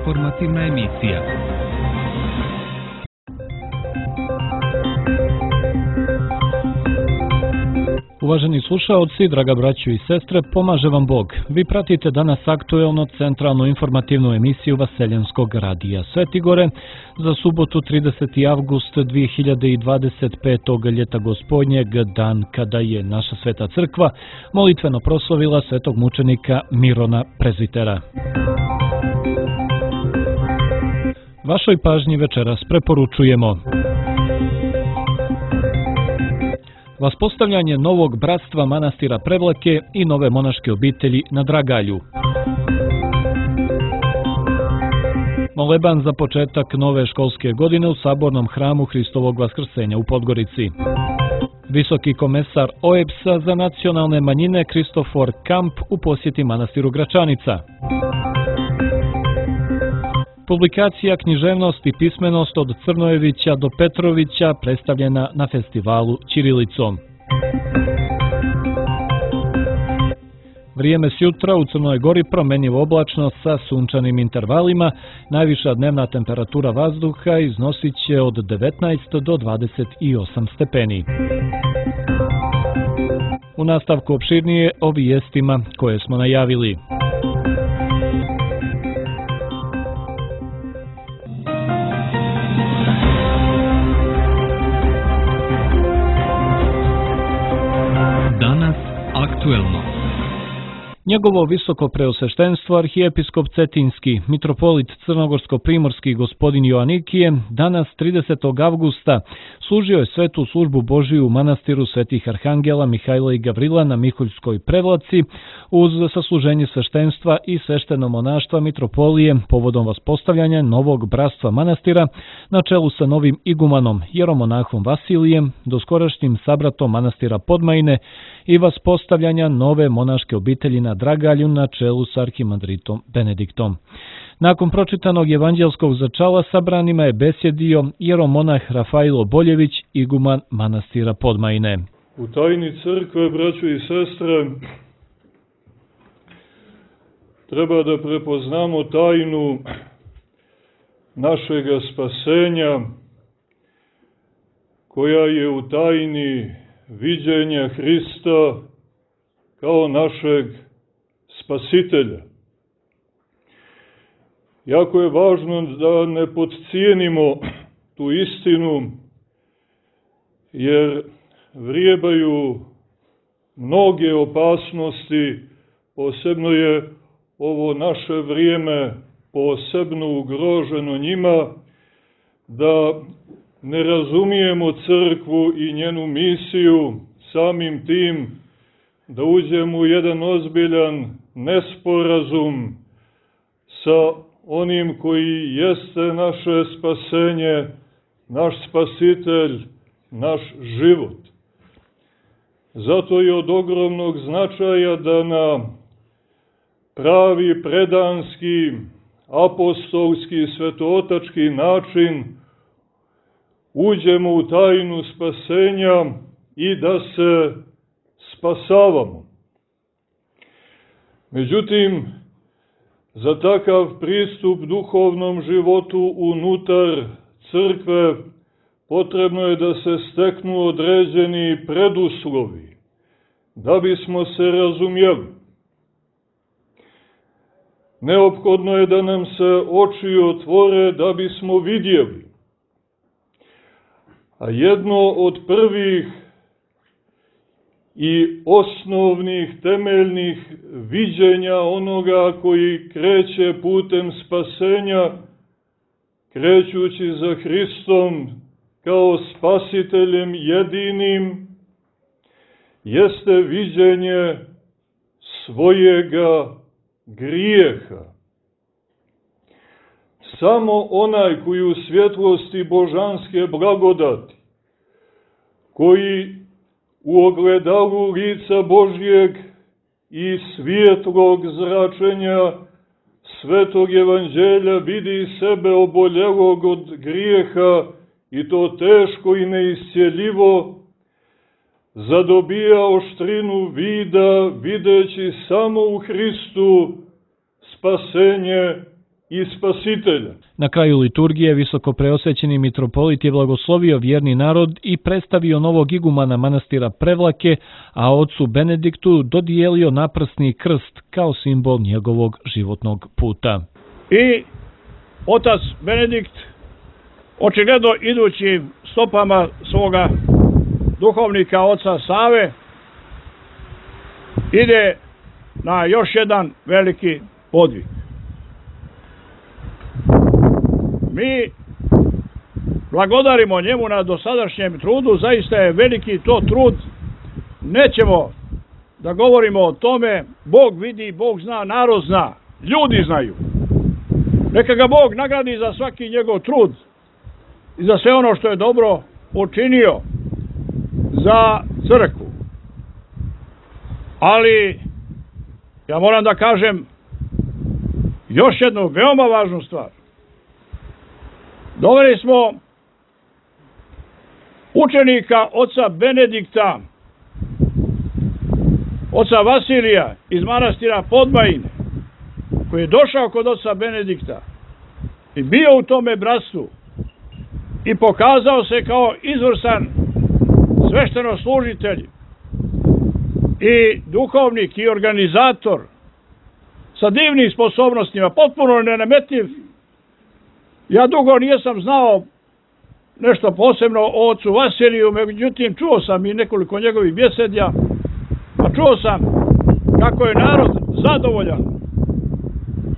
Informativna emisija. Uvaženi slušaoci, draga braćo i sestre, pomaže vam Bog. Vi pratite danas aktuelno centralnu informativnu emisiju Vaseljenskog radija Svetigore za subotu 30. avgust 2025. ljeta gospodnjeg, dan kada je naša sveta crkva molitveno proslavila svetog mučenika Mirona Prezvitera. Vašoj pažnji večeras preporučujemo vaspostavljanje novog bratstva manastira Prevlake i nove monaške obitelji na Dragalju. Moleban za početak nove školske godine u sabornom hramu Hristovog Vaskrsenja u Podgorici. Visoki komesar OEBS-a za nacionalne manjine Kristofor Kamp u posjeti manastiru Gračanica. Publikacija Književnost i pismenost od Crnojevića do Petrovića predstavljena na festivalu ćirilicom. Vrijeme s jutra u Crnoj Gori promjenjivo oblačno sa sunčanim intervalima. Najviša dnevna temperatura vazduha iznosit će od 19 do 28 stepeni. U nastavku opširnije o vijestima koje smo najavili. Danas aktuelno. Njegovo visoko preosveštenstvo arhijepiskop Cetinski, mitropolit Crnogorsko-primorski gospodin Joanikije, danas 30. avgusta služio je svetu službu Božiju u manastiru svetih arhangela Mihajla i Gavrila na Miholjskoj Prevlaci uz sasluženje sveštenstva i svešteno monaštva mitropolije povodom vaspostavljanja novog bratstva manastira na čelu sa novim igumanom jeromonahom Vasilijem, doskorašnjim sabratom manastira Podmajine i vaspostavljanja nove monaške obitelji na Dragalju na čelu sa arhimandritom Benediktom. Nakon pročitanog evanđelskog začala sabranima je besjedio jeromonah Rafailo Boljević, iguman manastira Podmajine. U tajni crkve, braćo i sestre, treba da prepoznamo tajnu našega spasenja, koja je u tajni viđenja Hrista kao našeg spasitelja. Jako je važno da ne podcijenimo tu istinu, jer vrijebaju mnoge opasnosti, posebno je ovo naše vrijeme posebno ugroženo njima, da ne razumijemo crkvu i njenu misiju, samim tim da uđemo u jedan ozbiljan nesporazum sa onim koji jeste naše spasenje, naš spasitelj, naš život. Zato je od ogromnog značaja da na pravi, predanski, apostolski, svetootački način uđemo u tajnu spasenja i da se spasavamo. Međutim, za takav pristup duhovnom životu unutar crkve potrebno je da se steknu određeni preduslovi, da bismo se razumjeli. Neophodno je da nam se oči otvore da bismo vidjeli. A jedno od prvih i osnovnih, temeljnih viđenja onoga koji kreće putem spasenja, krećući za Hristom kao spasiteljem jedinim, jeste viđenje svojega grijeha. Samo onaj koji u svjetlosti božanske blagodati, koji u ogledalu lica Božjeg i svjetlog zračenja svetog evanđelja vidi sebe oboljelog od grijeha i to teško i neiscjeljivo, zadobija oštrinu vida videći samo u Hristu spasenje i Spasitelja. Na kraju liturgije visoko preosvećeni mitropolit je blagoslovio vjerni narod i predstavio novog igumana manastira Prevlake, a ocu Benediktu dodijelio naprsni krst kao simbol njegovog životnog puta. I otac Benedikt, očigledno idući stopama svoga duhovnika oca Save, ide na još jedan veliki podvig. Mi blagodarimo njemu na dosadašnjem trudu, zaista je veliki to trud, nećemo da govorimo o tome, Bog vidi, Bog zna, narod zna, ljudi znaju. Neka ga Bog nagradi za svaki njegov trud i za sve ono što je dobro učinio za crkvu. Ali ja moram da kažem još jednu veoma važnu stvar. Doveli smo učenika oca Benedikta, oca Vasilija iz manastira Podmajine, koji je došao kod oca Benedikta i bio u tome bratstvu i pokazao se kao izvrstan sveštenoslужitelj i duhovnik i organizator sa divnim sposobnostima, potpuno nenametljiv. Ja dugo nisam znao nešto posebno o ocu Vasiliju, međutim čuo sam i nekoliko njegovih bjesedja, a čuo sam kako je narod zadovoljan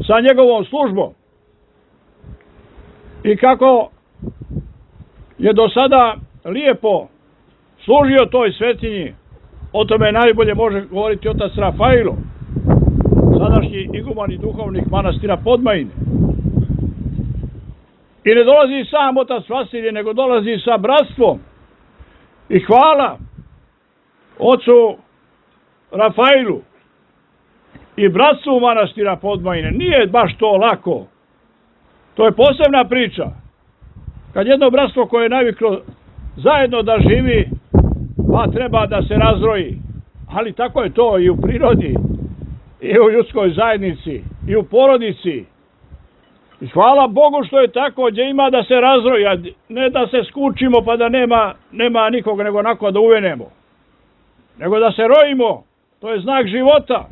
sa njegovom službom i kako je do sada lijepo služio toj svetinji. O tome najbolje može govoriti otac Rafailo, sadašnji iguman i duhovnik manastira Podmajine. I ne dolazi sam otac Vasilije, nego dolazi sa bratstvom. I hvala ocu Rafailu i bratstvu manastira Podmajine. Nije baš to lako. To je posebna priča. Kad jedno bratstvo koje je naviklo zajedno da živi, pa treba da se razroji. Ali tako je to i u prirodi, i u ljudskoj zajednici, i u porodici. I hvala Bogu što je tako, gdje ima da se razroja, ne da se skučimo pa da nema nikoga, nego onako da uvenemo. Nego da se rojimo, to je znak života.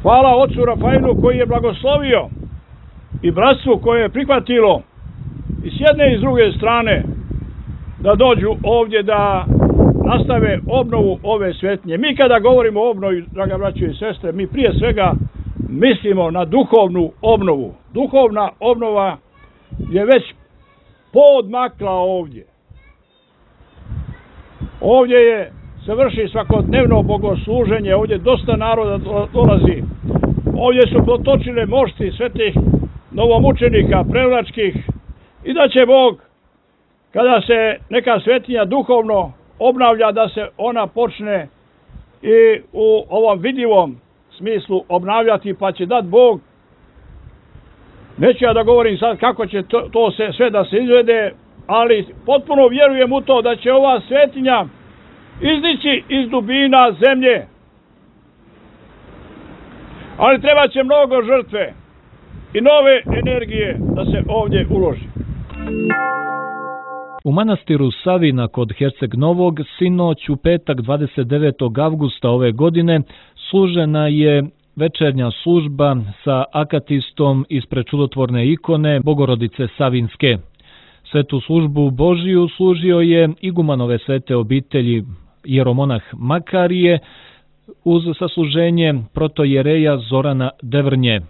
Hvala ocu Rafailu koji je blagoslovio i bratstvu koje je prihvatilo i s jedne i s druge strane da dođu ovdje da nastave obnovu ove svetinje. Mi kada govorimo o obnovi, draga braćo i sestre, mi prije svega mislimo na duhovnu obnovu. Duhovna obnova je već poodmakla ovdje. Ovdje se vrši svakodnevno bogosluženje, ovdje dosta naroda dolazi. Ovdje su protočile mošti svetih novomučenika, prevlačkih, i da će Bog, kada se neka svetinja duhovno obnavlja, da se ona počne i u ovom vidljivom smislu obnavljati, pa će dat Bog. Neću ja da govorim sad kako će to sve da se izvede, ali potpuno vjerujem u to da će ova svetinja izdići iz dubina zemlje. Ali treba će mnogo žrtve i nove energije da se ovdje uloži. U manastiru Savina kod Herceg Novog sinoć u petak 29. avgusta ove godine služena je večernja služba sa akatistom ispred čudotvorne ikone Bogorodice Savinske. Svetu službu Božiju služio je igumanove svete obitelji jeromonah Makarije uz sasluženje protojereja Zorana Devrnje.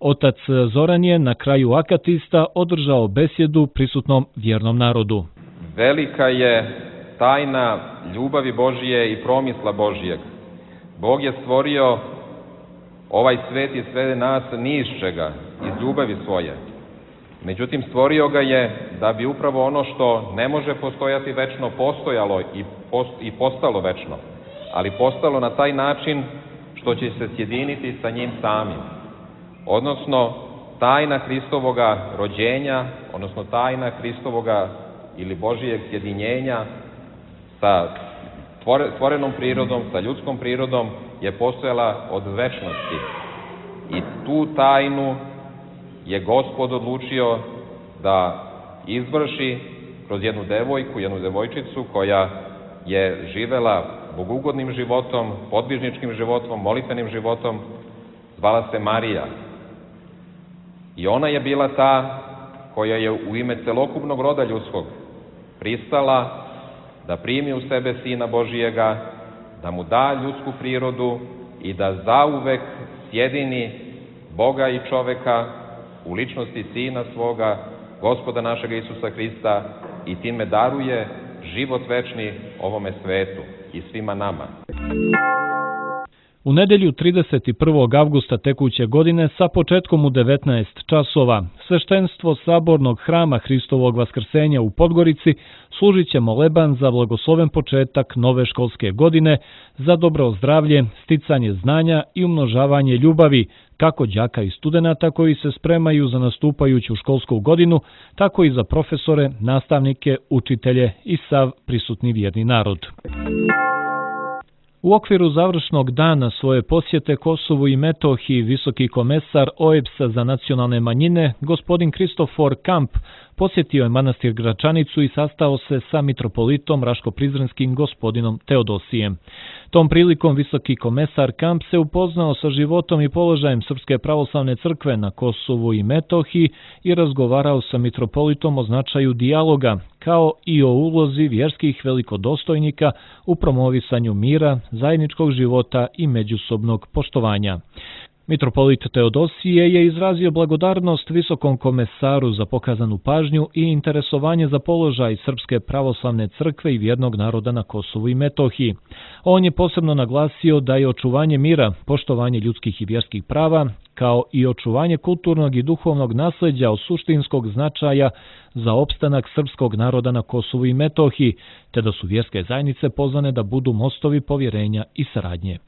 Otac Zoran je na kraju akatista održao besjedu prisutnom vjernom narodu. Velika je tajna ljubavi Božije i promisla Božijeg. Bog je stvorio ovaj svet i sve nas ni iz čega, iz ljubavi svoje. Međutim, stvorio ga je da bi upravo ono što ne može postojati večno postojalo i postalo večno, ali postalo na taj način što će se sjediniti sa njim samim. Odnosno, tajna Hristovoga rođenja, odnosno tajna Hristovoga ili Božijeg sjedinjenja sa stvorenom prirodom, sa ljudskom prirodom je postojala od večnosti. I tu tajnu je Gospod odlučio da izvrši kroz jednu devojku, jednu devojčicu koja je živela bogugodnim životom, podvižničkim životom, molitvenim životom, zvala se Marija. I ona je bila ta koja je u ime celokupnog roda ljudskog pristala da primi u sebe Sina Božijega, da mu da ljudsku prirodu i da zauvek sjedini Boga i čoveka u ličnosti Sina svoga, Gospoda našega Isusa Hrista, i time daruje život večni ovome svetu i svima nama. U nedelju 31. avgusta tekuće godine sa početkom u 19 časova sveštenstvo Sabornog hrama Hristovog Vaskrsenja u Podgorici služit će moleban za blagosloven početak nove školske godine za dobro zdravlje, sticanje znanja i umnožavanje ljubavi, kako đaka i studenata koji se spremaju za nastupajuću školsku godinu, tako i za profesore, nastavnike, učitelje i sav prisutni vjerni narod. U okviru završnog dana svoje posjete Kosovu i Metohiji visoki komesar OEBS-a za nacionalne manjine, gospodin Kristofor Kamp, posjetio je manastir Gračanicu i sastao se sa mitropolitom Raško-Prizrenskim gospodinom Teodosijem. Tom prilikom visoki komesar Kamp se upoznao sa životom i položajem Srpske pravoslavne crkve na Kosovu i Metohiji i razgovarao sa mitropolitom o značaju dijaloga, kao i o ulozi vjerskih velikodostojnika u promovisanju mira, zajedničkog života i međusobnog poštovanja. Mitropolit Teodosije je izrazio blagodarnost visokom komesaru za pokazanu pažnju i interesovanje za položaj Srpske pravoslavne crkve i vjernog naroda na Kosovu i Metohiji. On je posebno naglasio da je očuvanje mira, poštovanje ljudskih i vjerskih prava, kao i očuvanje kulturnog i duhovnog nasljeđa od suštinskog značaja za opstanak srpskog naroda na Kosovu i Metohiji, te da su vjerske zajednice pozvane da budu mostovi povjerenja i saradnje.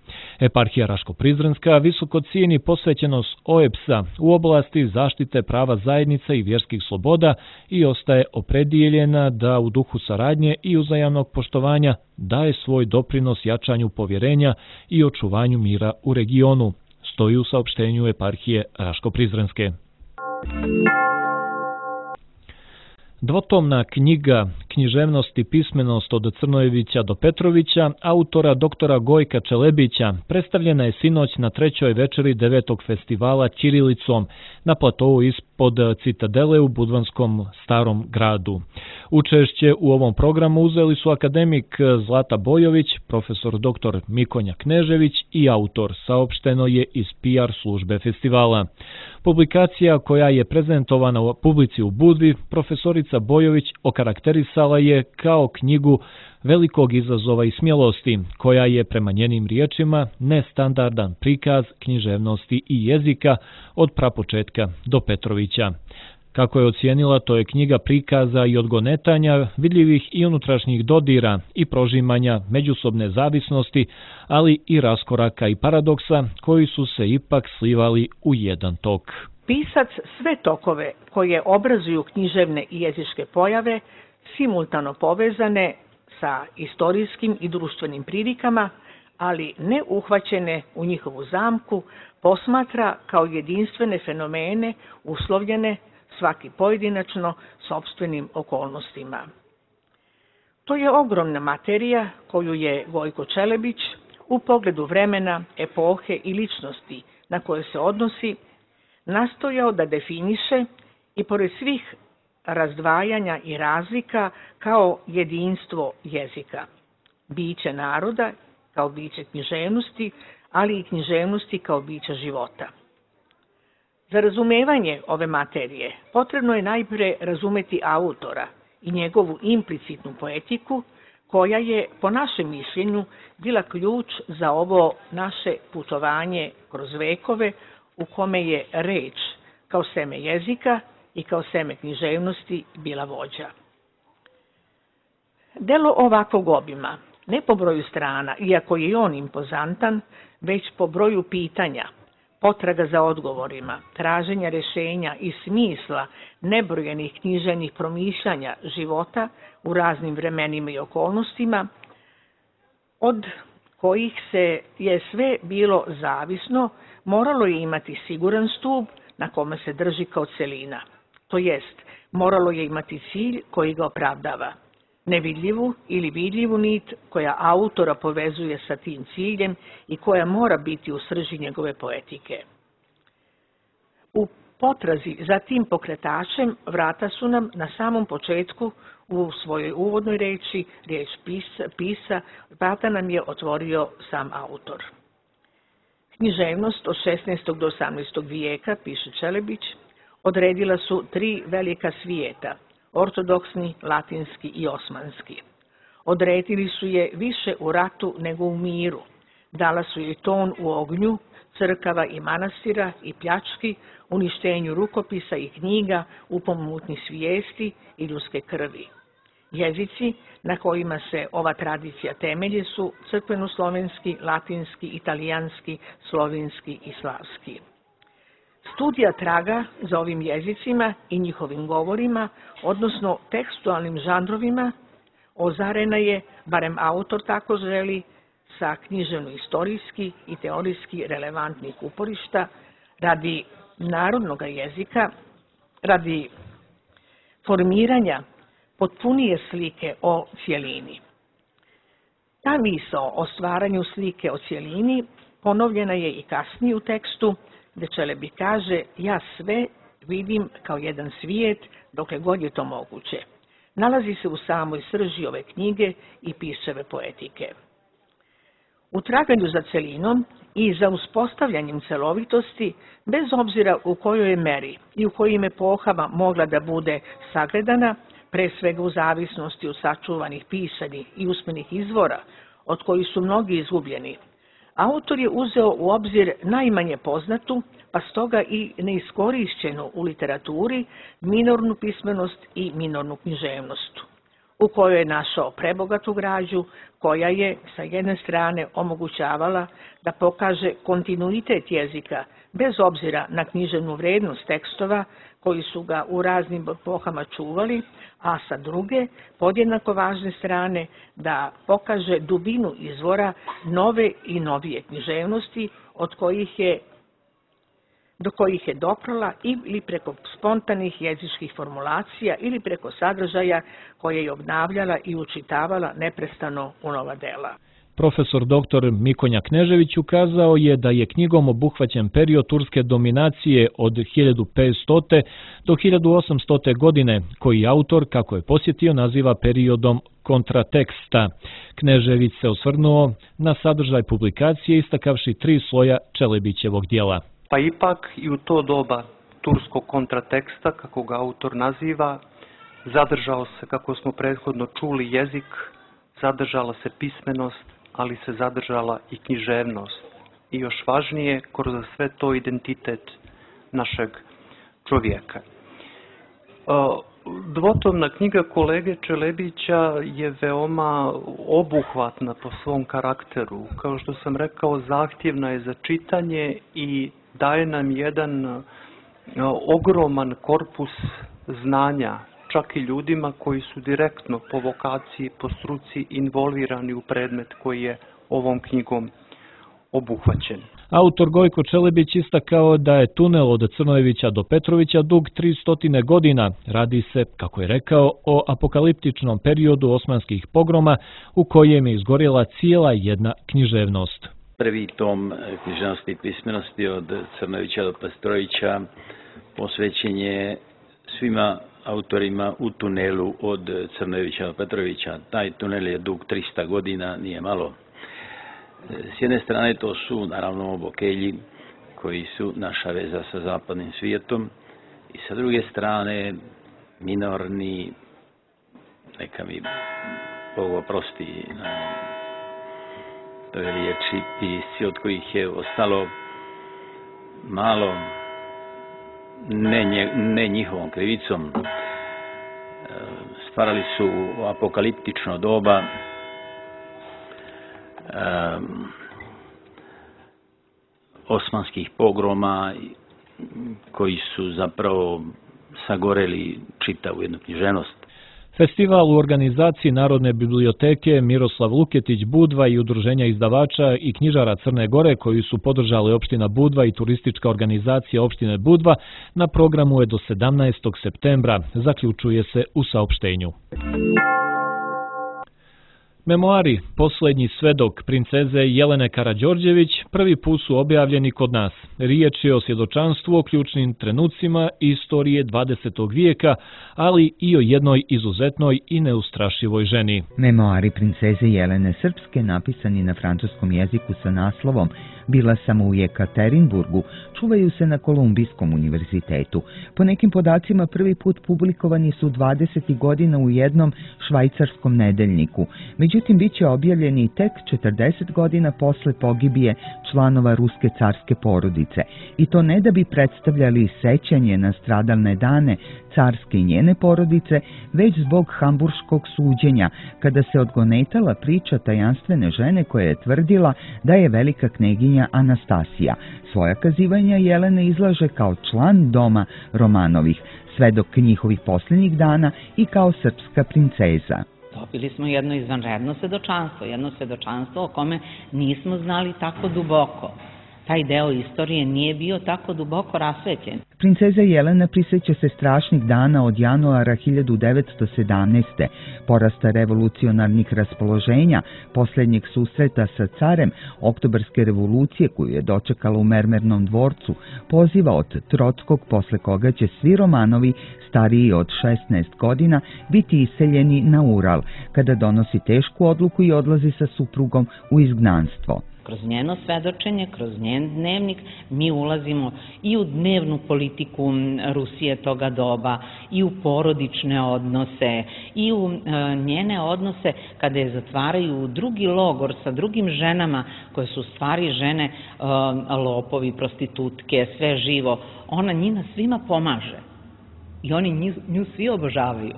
Eparhija Raško-Prizrenska visoko cijeni posvećenost OEBS-a u oblasti zaštite prava zajednica i vjerskih sloboda i ostaje opredijeljena da u duhu saradnje i uzajamnog poštovanja daje svoj doprinos jačanju povjerenja i očuvanju mira u regionu, stoji u saopštenju Eparhije Raško-Prizrenske. Dvotomna knjiga Književnost i pismenost od Crnojevića do Petrovića, autora doktora Gojka Čelebića, predstavljena je sinoć na trećoj večeri 9. festivala Ćirilicom na platovu ispod Citadele u Budvanskom Starom gradu. Učešće u ovom programu uzeli su akademik Zlata Bojović, profesor dr. Mikonja Knežević i autor, saopšteno je iz PR službe festivala. Publikacija koja je prezentovana u publici u Budvi, profesorica Bojović okarakterisala je kao knjigu velikog izazova i smjelosti, koja je prema njenim riječima nestandardan prikaz književnosti i jezika od prapočetka do Petrovića. Kako je ocijenila, to je knjiga prikaza i odgonetanja, vidljivih i unutrašnjih dodira i prožimanja međusobne zavisnosti, ali i raskoraka i paradoksa koji su se ipak slivali u jedan tok. Pisac sve tokove koje obrazuju književne i jezičke pojave, simultano povezane sa istorijskim i društvenim prilikama, ali ne uhvaćene u njihovu zamku, posmatra kao jedinstvene fenomene uslovljene svaki pojedinačno sopstvenim okolnostima. To je ogromna materija koju je Gojko Čelebić u pogledu vremena, epohe i ličnosti na koje se odnosi nastojao da definiše i pored svih razdvajanja i razlika kao jedinstvo jezika, biće naroda kao biće književnosti, ali i književnosti kao biće života. Za razumevanje ove materije potrebno je najprije razumeti autora i njegovu implicitnu poetiku, koja je, po našem mišljenju, bila ključ za ovo naše putovanje kroz vekove u kome je reč kao seme jezika i kao seme književnosti bila vođa. Delo ovakvog obima, ne po broju strana, iako je on impozantan, već po broju pitanja, potraga za odgovorima, traženja rješenja i smisla nebrojenih književnih promišljanja života u raznim vremenima i okolnostima, od kojih se je sve bilo zavisno, moralo je imati siguran stup na kome se drži kao celina. To jest, moralo je imati cilj koji ga opravdava. Nevidljivu ili vidljivu nit koja autora povezuje sa tim ciljem i koja mora biti u srži njegove poetike. U potrazi za tim pokretačem vrata su nam na samom početku u svojoj uvodnoj reči, riječ pisa, vrata nam je otvorio sam autor. Književnost od 16. do 18. vijeka, piše Čelebić, odredila su 3 velika svijeta, ortodoksni, latinski i osmanski. Odredili su je više u ratu nego u miru. Dala su je ton u ognju, crkava i manastira i pljački, uništenju rukopisa i knjiga, u pomutnji svijesti i ljudske krvi. Jezici na kojima se ova tradicija temelji su crkveno-slovenski, latinski, italijanski, slovenski i slavski. Studija traga za ovim jezicima i njihovim govorima, odnosno tekstualnim žanrovima, ozarena je, barem autor tako želi, sa književno-istorijski i teorijski relevantnih uporišta radi narodnog jezika, radi formiranja potpunije slike o cjelini. Ta misao o stvaranju slike o cjelini ponovljena je i kasnije u tekstu, gdje Čelebi kaže: ja sve vidim kao jedan svijet dokle god je to moguće. Nalazi se u samoj srži ove knjige i pisave poetike. U traganju za celinom i za uspostavljanjem celovitosti, bez obzira u kojoj je meri i u kojim epohama mogla da bude sagledana, pre svega u zavisnosti od sačuvanih pisanih i usmenih izvora, od kojih su mnogi izgubljeni, autor je uzeo u obzir najmanje poznatu, pa stoga i neiskorišćenu u literaturi, minornu pismenost i minornu književnost, u kojoj je našao prebogatu građu, koja je sa jedne strane omogućavala da pokaže kontinuitet jezika, bez obzira na književnu vrednost tekstova koji su ga u raznim epohama čuvali, a sa druge, podjednako važne strane, da pokaže dubinu izvora nove i novije književnosti do kojih je doprala ili preko spontanih jezičkih formulacija ili preko sadržaja koje je obnavljala i učitavala neprestano u nova dela. Profesor dr. Mikonja Knežević ukazao je da je knjigom obuhvaćen period turske dominacije od 1500. do 1800. godine, koji autor, kako je posjetio, naziva periodom kontrateksta. Knežević se osvrnuo na sadržaj publikacije istakavši 3 sloja Čelebićevog dijela. Pa ipak i u to doba turskog kontrateksta, kako ga autor naziva, zadržao se, kako smo prethodno čuli, jezik, zadržala se pismenost, ali se zadržala i književnost. I još važnije, kroz sve to identitet našeg čovjeka. Dvotomna knjiga kolege Čelebića je veoma obuhvatna po svom karakteru. Kao što sam rekao, zahtjevna je za čitanje i daje nam jedan ogroman korpus znanja, čak i ljudima koji su direktno po vokaciji, po struci involvirani u predmet koji je ovom knjigom obuhvaćen. Autor Gojko Čelebić istakao da je tunel od Crnojevića do Petrovića dug 300 godina. Radi se, kako je rekao, o apokaliptičnom periodu osmanskih pogroma u kojem je izgorjela cijela jedna književnost. Prvi tom književnosti i pismenosti od Crnojevića do Petrovića posvećen je svima autorima u tunelu od Crnojevića do Petrovića. Taj tunel je dug 300 godina, nije malo. S jedne strane to su naravno Bokelji koji su naša veza sa zapadnim svijetom i sa druge strane minorni, neka mi Bog oprosti na toj riječi, pisci od kojih je ostalo malo, ne njihovom krivicom. Stvarali su apokaliptično doba, osmanskih pogroma koji su zapravo sagoreli čitavu jednu književnost. Festival u organizaciji Narodne biblioteke Miroslav Luketić Budva i Udruženja izdavača i knjižara Crne Gore, koji su podržali opština Budva i turistička organizacija opštine Budva, na programu je do 17. septembra, zaključuje se u saopštenju. Memoari Poslednji svedok princeze Jelene Karađorđević prvi put su objavljeni kod nas. Riječ je o svjedočanstvu o ključnim trenucima istorije 20. vijeka, ali i o jednoj izuzetnoj i neustrašivoj ženi. Memoari princeze Jelene Srpske, napisani na francuskom jeziku sa naslovom Bila sam u Jekaterinburgu, čuvaju se na Kolumbijskom univerzitetu. Po nekim podacima prvi put publikovani su 20. godina u jednom švajcarskom nedeljniku. Međutim, bit će objavljeni tek 40 godina posle pogibije članova ruske carske porodice. I to ne da bi predstavljali sećanje na stradalne dane carske i njene porodice, već zbog hamburškog suđenja, kada se odgonetala priča tajanstvene žene koja je tvrdila da je velika kneginja Anastasija. Svoja kazivanja Jelena izlaže kao član doma Romanovih, svedok njihovih posljednjih dana i kao srpska princeza. Dobili smo jedno izvanredno svedočanstvo o kome nismo znali tako duboko. Taj deo istorije nije bio tako duboko rasvetljen. Princeza Jelena prisjeća se strašnih dana od januara 1917. porasta revolucionarnih raspoloženja, posljednjeg susreta sa carem, oktobarske revolucije koju je dočekala u Mermernom dvorcu, poziva od Trockog posle koga će svi Romanovi stariji od 16 godina biti iseljeni na Ural, kada donosi tešku odluku i odlazi sa suprugom u izgnanstvo. Kroz njeno svedočenje, kroz njen dnevnik, mi ulazimo i u dnevnu politiku Rusije toga doba, i u porodične odnose, i u njene odnose kada je zatvaraju u drugi logor sa drugim ženama, koje su stvari žene, lopovi, prostitutke, sve živo. Ona njima svima pomaže i oni nju svi obožavaju.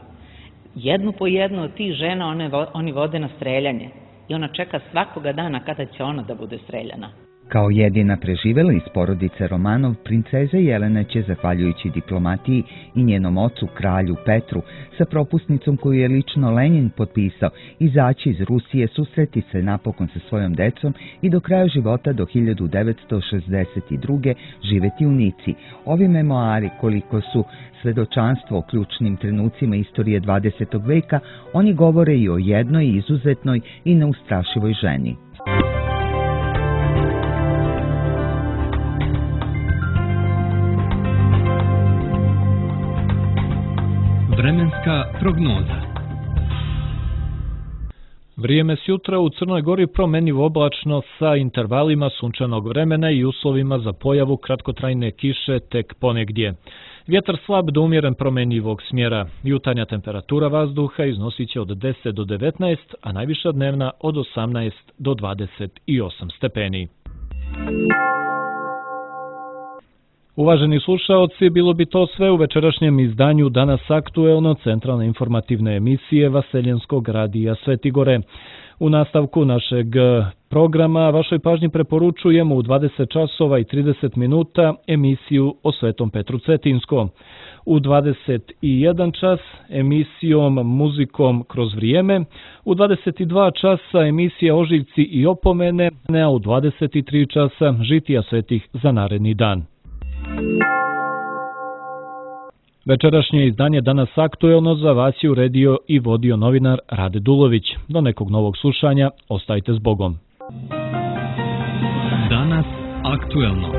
Jednu po jednu od tih žena oni vode na streljanje. I ona čeka svakoga dana kada će ona da bude streljana. Kao jedina preživela iz porodice Romanov, princeza Jelena će, zahvaljujući diplomatiji i njenom ocu, kralju Petru, sa propusnicom koju je lično Lenin potpisao, izaći iz Rusije, susreti se napokon sa svojom decom i do kraja života do 1962. živeti u Nici. Ovi memoari, koliko su svedočanstvo o ključnim trenucima istorije 20. veka, oni govore i o jednoj izuzetnoj i neustrašivoj ženi. Vremenska prognoza. Vrijeme s jutra u Crnoj Gori promjenjivo oblačno sa intervalima sunčanog vremena i uslovima za pojavu kratkotrajne kiše tek ponegdje. Vjetar slab do umjeren promjenjivog smjera. Jutarnja temperatura vazduha iznosit će od 10 do 19, a najviša dnevna od 18 do 28 stepeni. Uvaženi slušaoci, bilo bi to sve u večerašnjem izdanju Danas aktuelno centralne informativne emisije Vaseljenskog radija Sveti Gore. U nastavku našeg programa vašoj pažnji preporučujemo u 20 časova i 30 minuta emisiju o Svetom Petru Cetinskom. U 21 čas emisijom Muzikom kroz vrijeme, u 22 časa emisija Ožiljci i opomene, a u 23 časa žitija svetih za naredni dan. Večerašnje izdanje Danas aktuelno za vas je uredio i vodio novinar Rade Dulović. Do nekog novog slušanja, ostajte s Bogom. Danas aktuelno.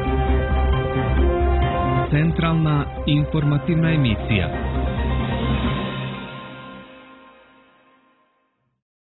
Centralna informativna emisija.